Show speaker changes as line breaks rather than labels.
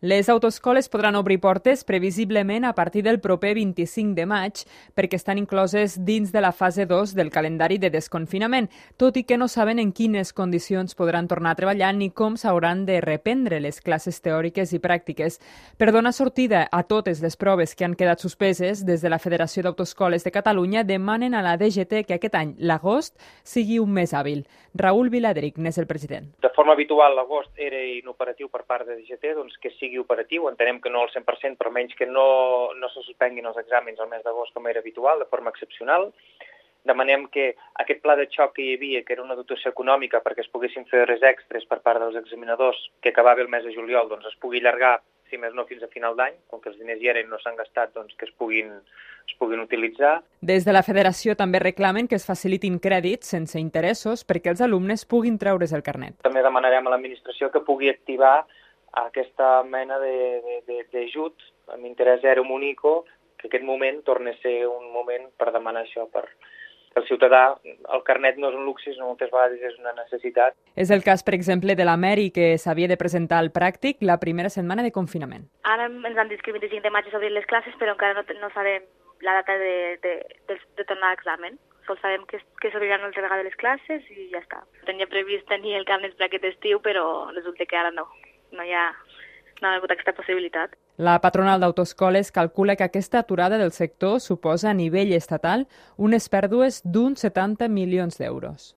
Les autoescoles podran obrir portes previsiblement a partir del proper 25 de maig perquè estan incloses dins de la fase 2 del calendari de desconfinament, tot i que no saben en quines condicions podran tornar a treballar ni com s'hauran de reprendre les classes teòriques i pràctiques. Per donar sortida a totes les proves que han quedat suspeses, des de la Federació d'Autoescoles de Catalunya demanen a la DGT que aquest any, l'agost, sigui un mes hàbil. Raül Viladric n'és el president.
De forma habitual, l'agost era inoperatiu per part de DGT, doncs que sigui operatiu. Entenem que no al 100%, però menys que no se suspenguin els exàmens al mes d'agost com era habitual, de forma excepcional. Demanem que aquest pla de xoc que hi havia, que era una dotació econòmica perquè es poguessin fer hores extres per part dels examinadors, que acabava el mes de juliol, doncs es pugui allargar, si més no, fins a final d'any, com que els diners hi eren i no s'han gastat, doncs que es puguin utilitzar.
Des de la Federació també reclamen que es facilitin crèdits sense interessos perquè els alumnes puguin treure's el carnet.
També demanarem a l'administració que pugui activar aquesta mena d'ajut amb interès zero Munico, que aquest moment torni a ser un moment per demanar això, per el ciutadà. El carnet no és un luxe, sinó moltes vegades és una necessitat.
És el cas, per exemple, de la Mary, que s'havia de presentar al pràctic la primera setmana de confinament.
Ara ens han dit que el 25 de maig s'obrin les classes, però encara no sabem la data de tornar a examen. Sols sabem que s'obriran altra vegada les classes i ja està. Tenia previst tenir el carnet per aquest estiu, però resulta que ara no hi ha hagut aquesta possibilitat.
La patronal d'autoescoles calcula que aquesta aturada del sector suposa a nivell estatal unes pèrdues d'uns 70 milions d'euros.